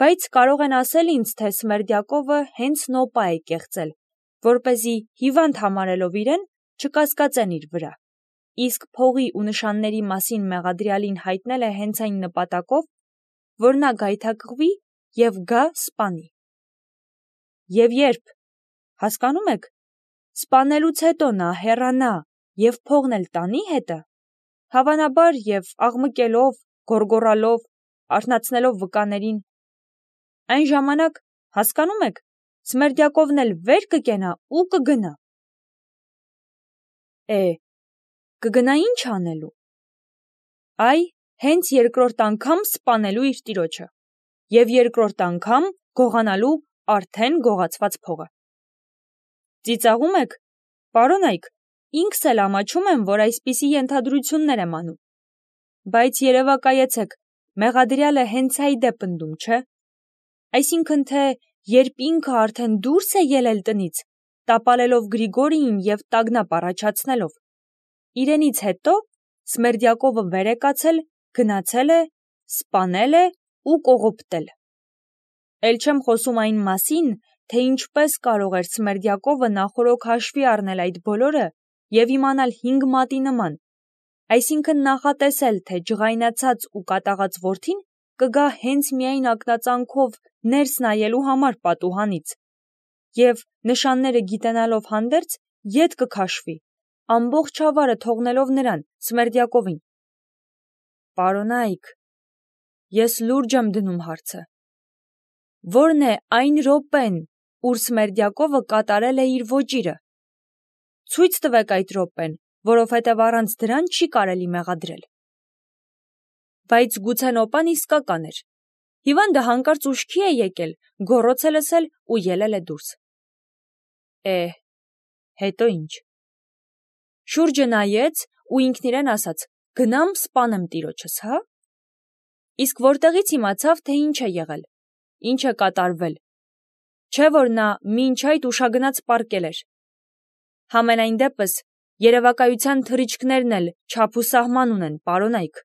Բայց կարող են ասել ինձ, թե Սմերդյակովը հենց նոպա է կեղծել, որպեսզի հիվանդ համարելով իրեն չկասկածեն իր վրա, իսկ փողի ու նշանների մասին մեղադրյալին հայտնել է հենց այն նպատակով, որ նա գայթակղվի և գա սպանի։ Եվ երբ, հասկանում եք, սպանելուց հետո նա հեռանա և փողն էլ տանի հետը, հավանաբար և աղմկելով, գոռգոռալով, արթնացնելով վկաներին, այն ժամանակ, հասկանում եք, Սմերդյակովն էլ վեր կկենա ու կգնա։ Կգնա ինչ անելու։ Այ, հենց երկրորդ անգամ սպանելու իր տիրոջը և երկրորդ անգամ գողանալու արդեն գողացված փողը։ Ծիծաղում եք, պարոնայք, ինքս էլ ամաչում եմ, որ այսպիսի ենթադրություններ եմ անում, բայց երևակայեցեք, մեղադրյալը հենց այդ է պնդում, չէ՞։ Այսինքն թե երբ ինքը արդեն դուրս է ելել տնից, տապալելով Գրիգորիին և տագնապ առաջացնելով, իրենից հետո Սմերդյակովը վեր է կացել, գնացել է, սպանել է ու կողոպտել։ Էլ չեմ խոսում այն մասին, թե ինչպես կարող էր Սմերդյակովը նախօրոք հաշվի առնել այդ բոլորը և իմանալ 5 մատի նման, այսինքն նախատեսել, թե ջղայնացած ու կատաղած որդին կգա հենց միայն ակնածանքով ներս նայելու համար պատուհանից և, նշանները գիտենալով հանդերձ, ետ կքաշվի, ամբողջ ավարը թողնելով նրան, Սմերդյակովին։ Պարոնայք, ես լուրջ եմ դնում հարցը. ո՞րն է այն րոպեն, ուր Սմերդյակովը կատարել է իր ոճիրը։ Ցույց տվեք այդ րոպեն, որովհետև առանց դրան չի կարելի մեղադրել։ Բայց գուցե նոպան իսկական էր։ Հիվանդը հանկարծ ուշքի է եկել, գոռոց է լսել ու ելել է դուրս։ Հետո ինչ։ Շուրջը նայեց ու ինքն իրեն ասաց. գնամ սպանեմ տիրոջս, հա՞։ Իսկ որտեղից իմացավ, թե ինչ է եղել, ինչ է կատարվել։ Չէ՞ որ նա մինչ այդ ուշագնաց պառկել էր։ Համենայն դեպս, երևակայության թռիչքներն էլ չափ ու սահման ունեն, պարոնայք։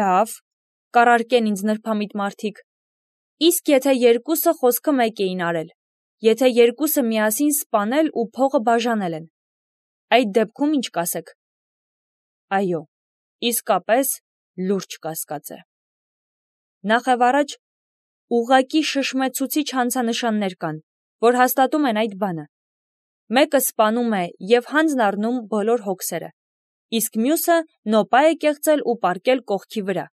Լավ, կառարկեն ինձ նրբամիտ մարդիկ։ Իսկ եթե երկուսը խոսքը մեկ էին արել, եթե երկուսը միասին սպանել ու փողը բաժանել են, այդ դեպքում ինչ կասեք։ Այո, իսկապես լուրջ կասկած է։ Նախևառաջ ուղղակի շշմեցուցիչ հանցանշաններ կան, որ հաստատում են այդ բանը։ Մեկը սպանում է և հանձն առնում բոլոր հոգսերը, իսկ մյուսը նոպա է կեղծել ու պառկել կողքի վրա։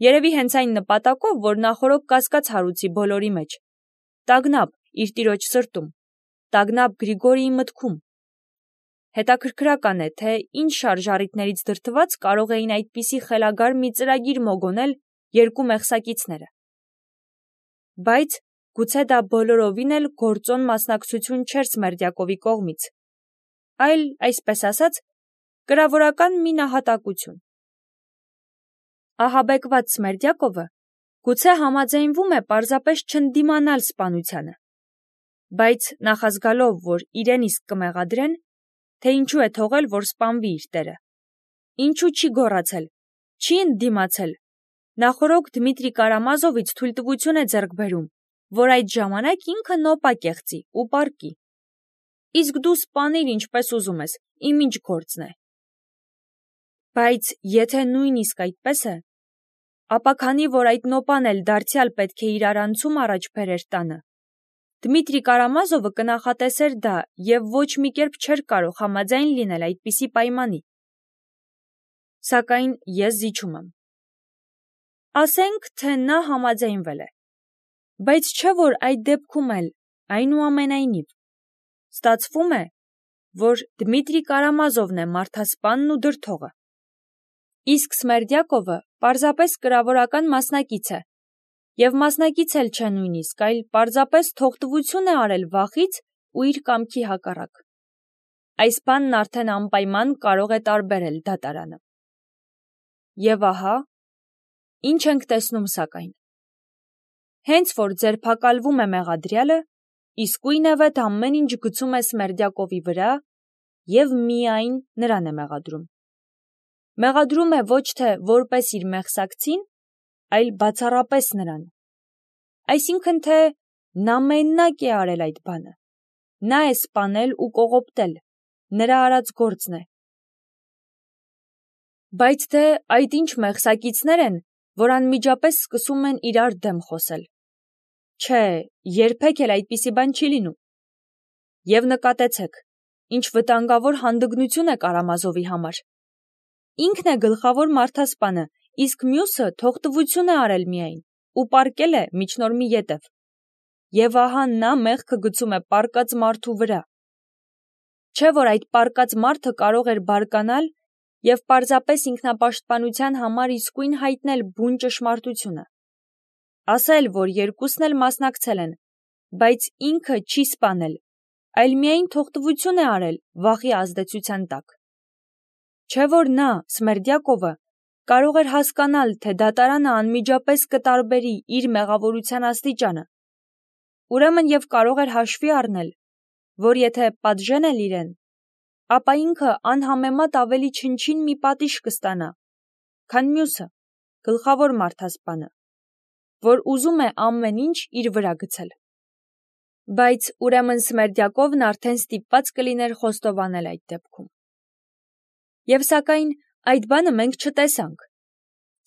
Երևի հենց այն նպատակով, որ նախօրոք կասկած հարուցի բոլորի մեջ։ Տագնապ իր տիրոջ սրտում, տագնապ Գրիգորիի մտքում։ Հետաքրքրական է, թե ինչ շարժառիթներից դրդված կարող էին այդպիսի խելագար մի ծրագիր մոգոնել երկու մեղսակիցները։ Բայց գուցե դա բոլորովին էլ գործոն մասնակցություն չէր Սմերդյակովի կողմից, այլ, այսպես ասած, կրավորական մի նահատակություն։ Ահաբեկված Սմերդյակովը գուցե համաձայնվում է պարզապես չընդդիմանալ սպանությանը, բայց նախազգալով, որ իրեն իսկ կմեղադրեն, թե ինչու է թողել, որ սպանվի իր տերը, ինչու չի գոռացել, չի ընդդիմացել, նախօրոք Դմիտրի Կարամազովից թույլտվություն է ձեռք բերում, որ այդ ժամանակ ինքը նոպա կեղծի ու պառկի։ Իսկ դու սպանիր ինչպես ուզում ես, իմ ինչ գործն է։ Բայց եթե նույնիսկ այդպես է, ապա քանի որ այդ նոպան էլ դարձյալ պետք է իր արանցում առաջ բերեր տանը, Դմիտրի Կարամազովը կնախատեսեր դա և ոչ մի կերպ չէր կարող համաձայն լինել այդպիսի պայմանի։ Սակայն ես զիջում եմ։ Ասենք, թե նա համաձայնվել է, բայց չէ՞ որ այդ դեպքում էլ, այնուամենայնիվ, ստացվում է, որ Դմիտրի Կարամազովն է մարդասպանն ու դրդողը։ Իսկ Սմերդյակովը պարզապես կրավորական մասնակից է, և մասնակից էլ չէ նույնիսկ, այլ պարզապես թողտվություն է արել վախից ու իր կամքի հակառակ։ Այս բանն արդեն անպայման կարող է տարբերել դատարանը։ Եվ ահա, ինչ ենք տեսնում սակայն։ Հենց որ ձերբակալվում է մեղադրյալը, իսկույնևեթ ամեն ինչ գցում է Սմերդյակովի վրա և միայն նրան է մեղադրում։ Մեղադրում է ոչ թե որպես իր մեղսակցին, այլ բացառապես նրան։ Այսինքն թե նա մենակ է արել այդ բանը, նա է սպանել ու կողոպտել, նրա արած գործն է։ Բայց թե այդ ինչ մեղսակիցներ են, որ անմիջապես սկսում են իրար դեմ խոսել։ Չէ, երբեք էլ այդպիսի բան չի լինում։ Եվ նկատեցեք, ինչ վտանգավոր հանդգնություն է Կարամազովի համար։ Ինքն է գլխավոր մարդասպանը, իսկ մյուսը թողտվություն է արել միայն ու պառկել է միջնորմի ետև։ Եվ ահա նա մեղքը գցում է պառկած մարդու վրա։ Չէ՞ որ այդ պառկած մարդը կարող էր բարկանալ և պարզապես ինքնապաշտպանության համար իսկույն հայտնել բուն ճշմարտությունը։ Ասել, որ երկուսն էլ մասնակցել են, բայց ինքը չի սպանել, այլ միայն թողտվություն է արել վախի ազդեցության տակ։ Չէ՞ որ նա, Սմերդյակովը, կարող էր հասկանալ, թե դատարանը անմիջապես կտարբերի իր մեղավորության աստիճանը, ուրեմն և կարող էր հաշվի առնել, որ եթե պատժեն էլ իրեն, ապա ինքը անհամեմատ ավելի չնչին մի պատիժ կստանա, քան մյուսը, գլխավոր մարդասպանը, որ ուզում է ամեն ինչ իր վրա գցել։ Բայց ուրեմն Սմերդյակովն արդեն ստիպված կլիներ խոստովանել այդ դեպքում։ Եվ սակայն այդ բանը մենք չտեսանք։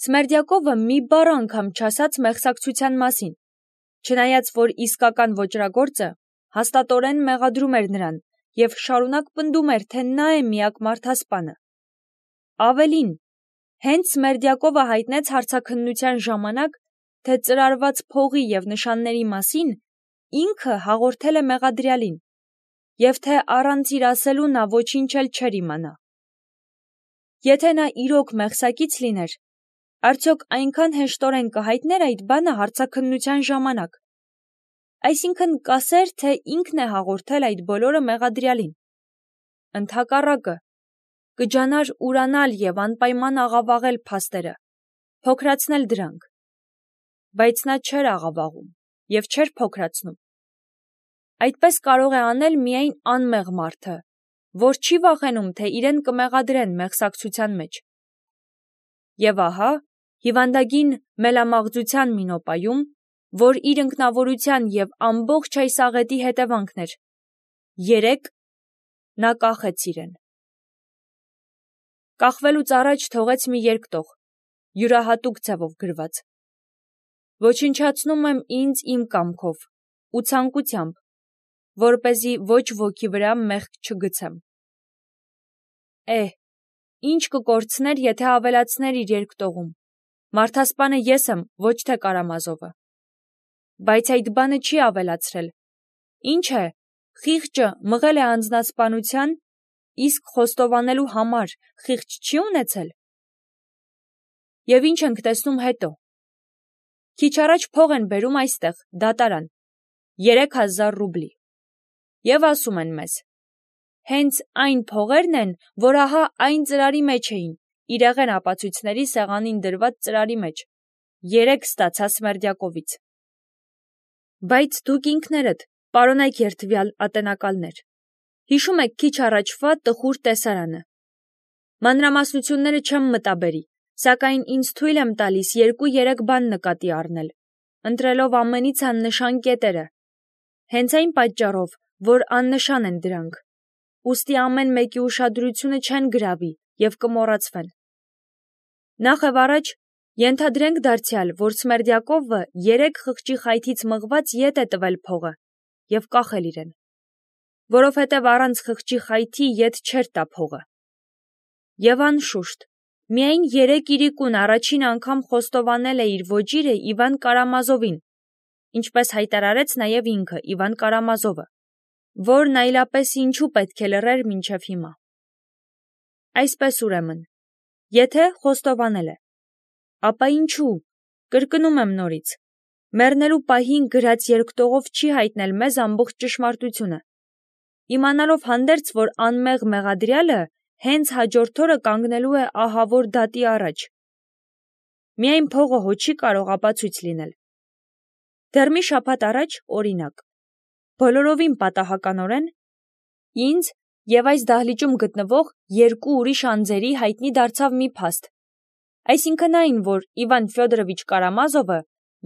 Սմերդյակովը մի բառ անգամ չասաց մեղսակցության մասին, չնայած որ իսկական ոճրագործը հաստատորեն մեղադրում էր նրան և շարունակ պնդում էր, թե նա է միակ մարդասպանը։ Ավելին, հենց Սմերդյակովը հայտնեց հարցաքննության ժամանակ, թե ծրարված փողի և նշանների մասին ինքը հաղորդել է մեղադրյալին, և թե առանց իր ասելու նա ոչինչ էլ չէր իմանա։ Եթե նա իրոք մեղսակից լիներ, արդյոք այնքան հեշտորեն կհայտներ այդ բանը հարցաքննության ժամանակ, այսինքն կասեր, թե ինքն է հաղորդել այդ բոլորը մեղադրյալին։ Ընդհակառակը, կջանար ուրանալ և անպայման աղավաղել փաստերը, փոքրացնել դրանք, բայց նա չէր աղավաղում և չէր փոքրացնում։ Այդպես կարող է անել միայն անմեղ մարդը, որ չի վախենում, թե իրեն կմեղադրեն մեղսակցության մեջ։ Եվ ահա, հիվանդագին մելամաղձության մի նոպայում, որ իր ինքնավորության և ամբողջ այս աղետի հետևանքն էր, 3 նա կախեց իրեն։ Կախվելուց առաջ թողեց մի երկտող, յուրահատուկ ձևով գրված. «Ոչնչացնում եմ ինձ իմ կամքով ու ցանկությամբ, որպեսզի ոչ ոքի վրա մեղք չգցեմ»։ Ինչ կկորցներ, եթե ավելացներ իր երկտողում. «Մարդասպանը ես եմ, ոչ թե Կարամազովը»։ Բայց այդ բանը չի ավելացրել։ Ինչ է, խիղճը մղել է անձնասպանության, իսկ խոստովանելու համար խիղճ չի ունեցել։ Եվ ինչ ենք տեսնում հետո։ Քիչ առաջ փող են բերում այստեղ, դատարան, 3000 ռուբլի։ Եվ ասում են մեզ. հենց այն փողերն են, որ ահա այն ծրարի մեջ էին, իրեղեն ապացույցների սեղանին դրված ծրարի մեջ, 3 ստացա Սմերդյակովից։ Բայց դուք ինքներդ, պարոնայք երդվյալ ատենակալներ, հիշում եք քիչ առաջվա տխուր տեսարանը։ Մանրամասնությունները չեմ մտաբերի, սակայն ինձ թույլ եմ տալիս 2-3 բան նկատի առնել, ընտրելով ամենից աննշան կետերը, հենց այն պատճառով, որ աննշան են դրանք, ուստի ամեն մեկի ուշադրությունը չեն գրավի և կմոռացվեն։ Նախ և առաջ ենթադրենք դարձյալ, որ Սմերդյակովը 3 խղճի խայթից մղված ետ է տվել փողը և կախել իրեն, որովհետև առանց խղճի խայթի ետ չէր տա փողը։ Եվ անշուշտ, միայն 3 իրիկուն առաջին անգամ խոստովանել է իր ոճիրը Իվան Կարամազովին, ինչպես հայտարարեց նաև ինքը Իվան Կարամազովը, որն այլապես ինչու պետք է լռեր մինչև հիմա։ Այսպես ուրեմն, եթե խոստովանել է, ապա ինչու, կրկնում եմ նորից, մեռնելու պահին գրած երկտողով չի հայտնել մեզ ամբողջ ճշմարտությունը, իմանալով հանդերձ, որ անմեղ մեղադրյալը հենց հաջորդ օրը կանգնելու է ահավոր դատի առաջ։ Միայն փողը հո չի կարող ապացույց լինել։ Դեռ մի շաբաթ առաջ, օրինակ, բոլորովին պատահականորեն, ինձ և այս դահլիճում գտնվող 2 ուրիշ անձերի հայտնի դարձավ մի փաստ, Այսինքն այն, որ Իվան Ֆյոդորովիչ Կարամազովը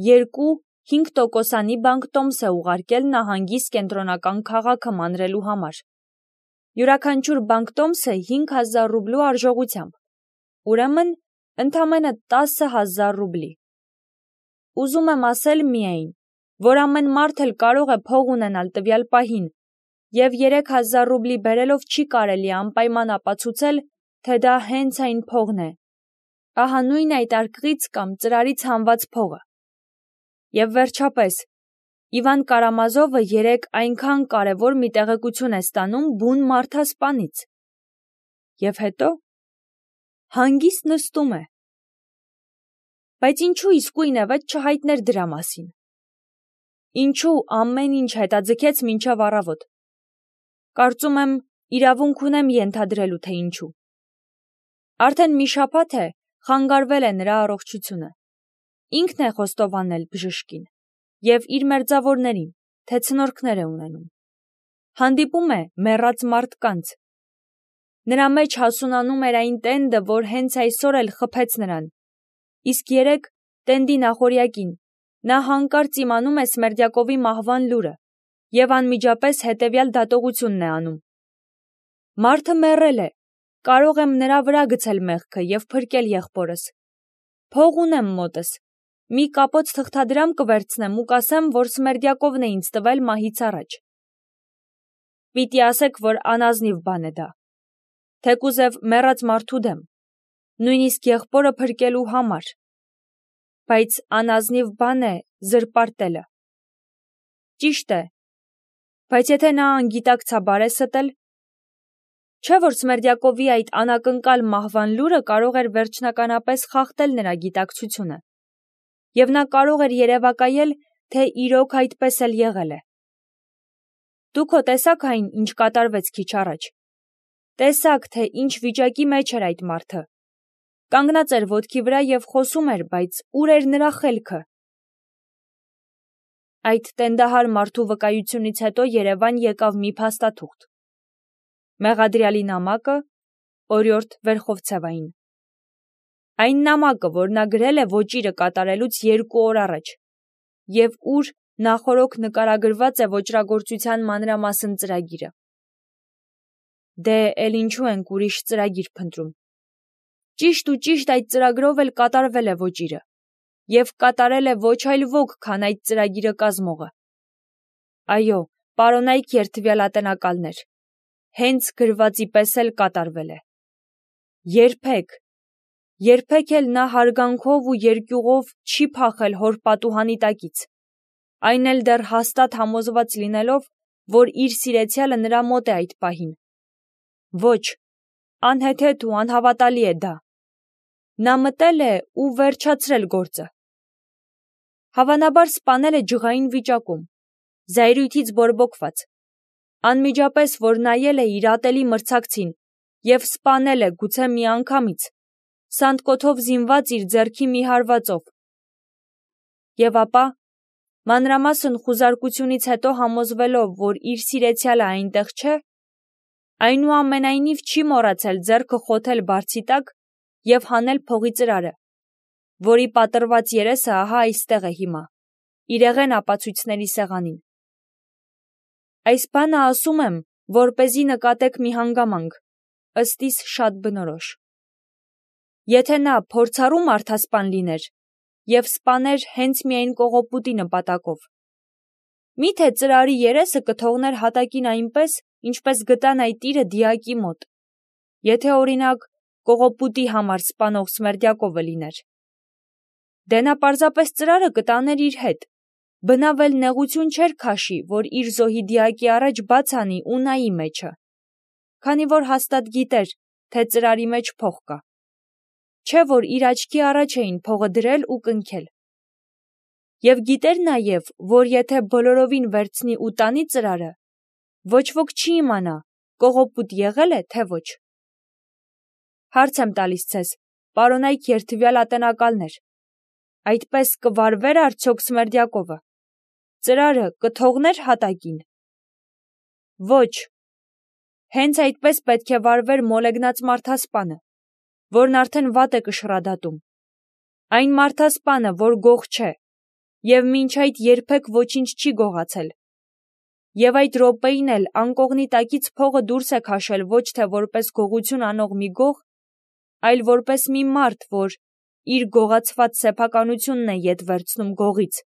2-5%-անի բանկտոմս է ուղարկել նահանգիս կենտրոնական քաղաքը մանրելու համար։ Յուրաքանչյուր բանկտոմսը 5000 ռուբլու արժողությամբ, ուրեմն ընդամենը 10,000 ռուբլի։ Ուզում եմ ասել միայն, որ ամեն մարդ էլ կարող է փող ունենալ տվյալ պահին, և 3000 ռուբլի բերելով չի կարելի անպայման ապացուցել, թե դա հենց այն փողն է, ահա նույն այդ արկղից կամ ծրարից հանված փողը։ Եվ վերջապես, Իվան Կարամազովը երեկ այնքան կարևոր մի տեղեկություն է ստանում բուն մարդասպանից։ Եվ հետո հանգիստ նստում է։ Բայց ինչու իսկույն ևեթ չհայտներ դրա մասին։ Ինչու ամեն ինչ հետաձգեց մինչև առավոտ։ Կարծում եմ, իրավունք ունեմ ենթադրելու, թե ինչու։ Արդեն մի շաբաթ է խանգարվել է նրա առողջությունը։ Ինքն է խոստովանել բժշկին և իր մերձավորներին, թե ցնորքներ է ունենում։ Հանդիպում է մեռած մարդկանց։ Նրա մեջ հասունանում էր այն տենդը, որ հենց այսօր էլ խփեց նրան։ Իսկ երեկ տենդի նախօրյակին նա հանկարծ իմանում է Սմերդյակովի մահվան լուրը և անմիջապես հետևյալ դատողությունն է անում. Մարդը մեռել է, կարող եմ նրա վրա գցել մեղքը և փրկել եղբորս։ Փող ունեմ մոտս, մի կապոց թղթադրամ կվերցնեմ ու կասեմ, որ Սմերդյակովն է ինձ տվել մահից առաջ։ Պիտի ասեք, որ անազնիվ բան է դա, թեկուզև մեռած մարդու դեմ, նույնիսկ եղբորը փրկելու համար, բայց անազնիվ բան է զրպարտելը։ Ճիշտ է, բայց եթե նա անգիտակցաբար է ստել, չէ՞ որ Սմերդյակովի այդ անակնկալ մահվան լուրը կարող էր վերջնականապես խախտել նրա գիտակցությունը, և նա կարող էր երևակայել, թե իրոք այդպես էլ եղել է։ Դուք հո տեսաք այն, ինչ կատարվեց քիչ առաջ։ Տեսաք, թե ինչ վիճակի մեջ էր այդ մարդը։ Կանգնած էր ոտքի վրա և խոսում էր, բայց ուր էր նրա խելքը։ Այդ տենդահար մարդու վկայությունից հետո Երևան եկավ մի փաստաթուղթ։ Մեղադրյալի նամակը, օրիորդ Վերխովցևային։ Այն նամակը, որ նա գրել է ոճիրը կատարելուց 2 օր առաջ, և ուր նախօրոք նկարագրված է ոճրագործության մանրամասն ծրագիրը։ Դե էլ ինչու ենք ուրիշ ծրագիր փնտրում։ Ճիշտ ու ճիշտ այդ ծրագրով էլ կատարվել է ոճիրը, և կատարել է ոչ այլ ոք, քան այդ ծրագիրը կազմողը։ Այո, պարոնայք երդվյալ ատենակալներ, հենց գրվածի պես էլ կատարվել է։ Երբեք էլ նա հարգանքով ու երկյուղով չի փախել հոր պատուհանի տակից, այն էլ դեռ հաստատ համոզված լինելով, որ իր սիրեցյալը նրա մոտ է այդ պահին։ Ոչ, անհեթեթ ու անհավատալի է դա։ Նա մտել է ու վերջացրել գործը։ Հավանաբար սպանել է ջղային վիճակում, զայրույթից բորբոքված, անմիջապես, որ նայել է իր ատելի մրցակցին և սպանել է գուցե միանգամից, սանդկոթով զինված իր ձեռքի մի հարվածով։ Եվ ապա, մանրամասն խուզարկությունից հետո համոզվելով, որ իր սիրեցյալը այնտեղ չէ, այնուամենայնիվ չի մոռացել ձեռքը խոթել բարձի տակ և հանել փողի ծրարը, որի պատռված երեսը ահա այստեղ է հիմա, իրեղեն ապացույցների սեղանին։ Այս բանը ասում եմ, որպեսզի նկատեք մի հանգամանք, ըստ իս շատ բնորոշ։ Եթե նա փորձառու մարդասպան լիներ և սպաներ հենց միայն կողոպուտի նպատակով, միթե ծրարի երեսը կթողներ հատակին այնպես, ինչպես գտան այդ իրը դիակի մոտ, եթե օրինակ կողոպուտի համար սպանող Սմերդյակովը լիներ։ Դե նա պարզապես ծրարը կտաներ իր հետ, բնավ էլ նեղություն չէր քաշի, որ իր զոհի դիակի առաջ բաց անի ու նայի մեջը, քանի որ հաստատ գիտեր, թե ծրարի մեջ փող կա։ Չէ՞ որ իր աչքի առաջ էին փողը դրել ու կնքել։ Եվ գիտեր նաև, որ եթե բոլորովին վերցնի ու տանի ծրարը, ոչ ոք չի իմանա, կողոպուտ եղել է, թե ոչ։ Հարց եմ տալիս ձեզ, պարոնայք երդվյալ ատենակալներ, այդպես կվարվե՞ր արդյոք Սմերդյակովը, ծրարը կթողներ հատակին։ Ոչ, հենց այդպես պետք է վարվեր մոլեգնած մարդասպանը, որն արդեն վատ է կշռադատում, Այն մարդասպանը, որ գող չէ, և մինչ այդ երբեք ոչինչ չի գողացել։ Եվ այդ րոպեին էլ անկողնի տակից փողը դուրս է քաշել ոչ թե որպես գողություն անող մի գող, այլ որպես մի մարդ, որ իր գողացված սեփականությունն է ետ վերցնում գողից։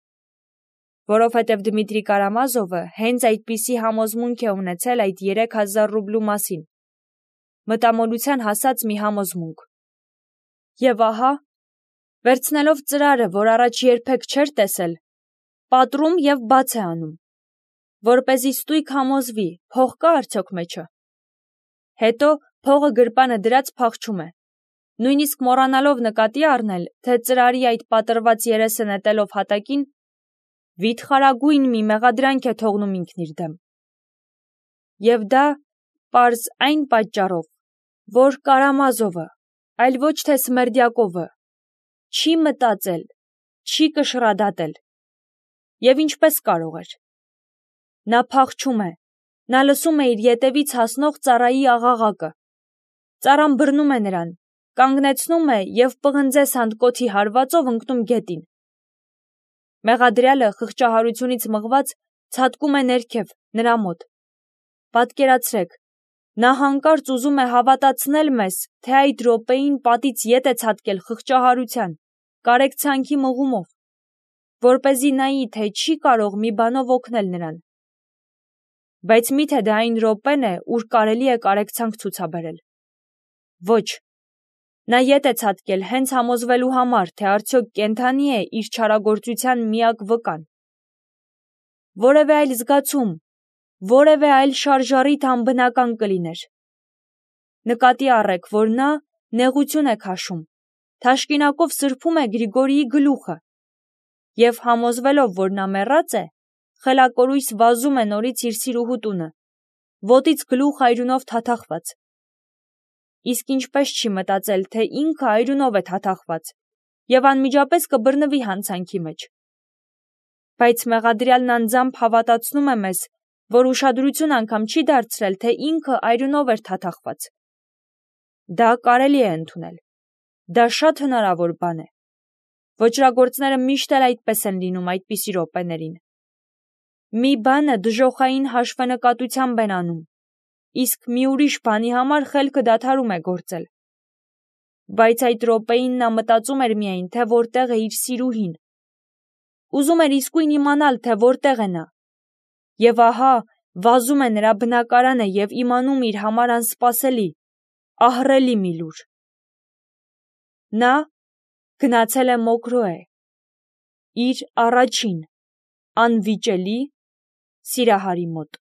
Որովհետև Դմիտրի Կարամազովը հենց այդպիսի համոզմունք է ունեցել այդ 3000 ռուբլու մասին։ Մտամոլության հասած մի համոզմունք։ Եվ ահա, վերցնելով ծրարը, որ առաջ երբեք չէր տեսել, պատռում և բաց է անում, որպեսզի ստույգ համոզվի, փող կա արդյոք մեջը։ Հետո փողը գրպանը դրած փախչում է, նույնիսկ մոռանալով նկատի առնել, թե ծրարի այդ պատռված երեսը նետելով հատակին, վիթխարագույն մի մեղադրանք է թողնում ինքն իր դեմ։ Եվ դա պարզ այն պատճառով, որ Կարամազովը, այլ ոչ թե Սմերդյակովը, չի մտածել, չի կշռադատել։ Եվ ինչպես կարող էր։ Նա փախչում է, նա լսում է իր ետևից հասնող ծառայի աղաղակը։ Ծառան բռնում է նրան, կանգնեցնում է և պղնձե սանդկոթի հարվածով ընկնում գետին։ Մեղադրյալը խղճահարությունից մղված ցատկում է ներքև, նրա մոտ։ Պատկերացրեք, նա հանկարծ ուզում է հավատացնել մեզ, թե այդ րոպեին պատից ետ է ցատկել խղճահարության, կարեկցանքի մղումով, որպեսզի նայի, թե չի կարող մի բանով օգնել նրան։ Բայց մի՞թե դա այն րոպեն է, ուր կարելի է կարեկցանք ցուցաբերել։ Ոչ, նա ետ է ցատկել հենց համոզվելու համար, թե արդյոք կենդանի է իր չարագործության միակ վկան։ Որևէ այլ զգացում, որևէ այլ շարժառիթ անբնական կլիներ։ Նկատի առեք, որ նա նեղություն է քաշում, թաշկինակով սրբում է Գրիգորիի գլուխը և համոզվելով, որ նա մեռած է, խելակորույս վազում է նորից իր սիրուհու տունը, ոտից գլուխ այրունով թաթախված։ Իսկ ինչպես չի մտածել, թե ինքը այրունով է թաթախված և անմիջապես կբռնվի հանցանքի մեջ։ Բայց մեղադրյալն անձամբ հավատացնում է մեզ, որ ուշադրություն անգամ չի դարձրել, թե ինքը այրունով էր թաթախված։ Դա կարելի է ընդունել։ Դա շատ հնարավոր բան է։ Ոճրագործները միշտ էլ այդպես են լինում այդպիսի րոպեներին։ Մի բանը դժոխային հաշվենկատությամբ են անում, իսկ մի ուրիշ բանի համար խելքը դադարում է գործել։ Բայց այդ րոպեին նա մտածում էր միայն, թե որտեղ է իր սիրուհին։ Ուզում էր իսկույն իմանալ, թե որտեղ է նա։ Եվ ահա, վազում է նրա բնակարանը և իմանում իր համար անսպասելի, ահռելի մի լուր։ Նա գնացել է Մոկրոե, իր առաջին անվիճելի սիրահարի մոտ։